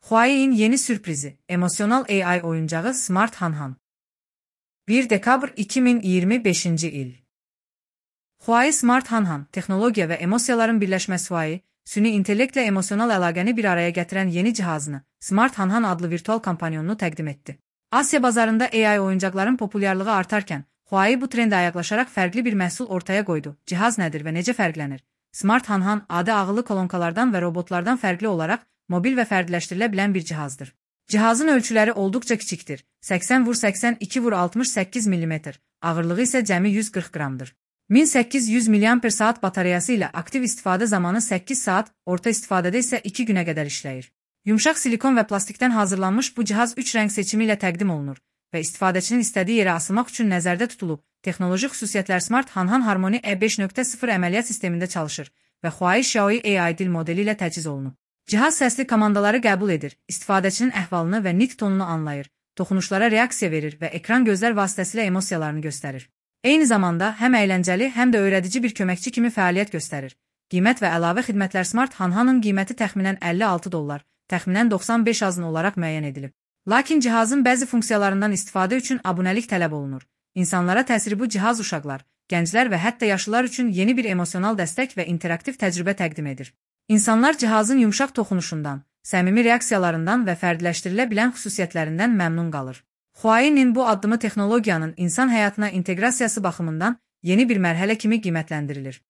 Huawei'in yeni sürprizi, emosyonal AI oyuncağı Smart Hanhan. 1 dekabr 2025 il. Huawei Smart Hanhan, texnologiya və emosiyaların birləşməsi Huawei, süni intellektlə emosional əlaqəni bir araya gətirən yeni cihazını, Smart Hanhan adlı virtual kompanyonunu təqdim etdi. Asiya bazarında AI oyuncaqların populyarlığı artarkən, Huawei bu trendə ayaqlaşaraq fərqli bir məhsul ortaya qoydu. Cihaz nədir və necə fərqlənir? Smart Hanhan adı ağıllı kolonkalardan və robotlardan fərqli olaraq mobil və fərdiləşdirilə bilən bir cihazdır. Cihazın ölçüləri olduqca kiçikdir. 80x82x68 mm, ağırlığı isə cəmi 140 qramdır. 1800 mAh batareyası ilə aktiv istifadə zamanı 8 saat, orta istifadədə isə 2 günə qədər işləyir. Yumşaq silikon və plastikdən hazırlanmış bu cihaz 3 rəng seçimi ilə təqdim olunur və istifadəçinin istədiyi yerə asılmaq üçün nəzərdə tutulub. Texnoloji xüsusiyyətlər Smart Hanhan Harmony E5.0 əməliyyat sistemində çalışır və Huawei Xiaomi AI dil modeli ilə təchiz olunub. Cihaz səsli komandaları qəbul edir, istifadəçinin əhvalını və nitq tonunu anlayır, toxunuşlara reaksiya verir və ekran gözlər vasitəsilə emosiyalarını göstərir. Eyni zamanda həm əyləncəli, həm də öyrədici bir köməkçi kimi fəaliyyət göstərir. Qiymət və əlavə xidmətlər Smart Hanhanın qiyməti təxminən $56, təxminən 95 azın olaraq müəyyən edilib. Lakin cihazın bəzi funksiyalarından istifadə üçün abunəlik tələb olunur. İnsanlara təsiri bu cihaz uşaqlar, gənclər və hətta yaşlılar üçün yeni bir emosional dəstək və interaktiv təcrübə təqdim edir. İnsanlar cihazın yumşaq toxunuşundan, səmimi reaksiyalarından və fərdiləşdirilə bilən xüsusiyyətlərindən məmnun qalır. Huawei'nin bu addımı texnologiyanın insan həyatına inteqrasiyası baxımından yeni bir mərhələ kimi qiymətləndirilir.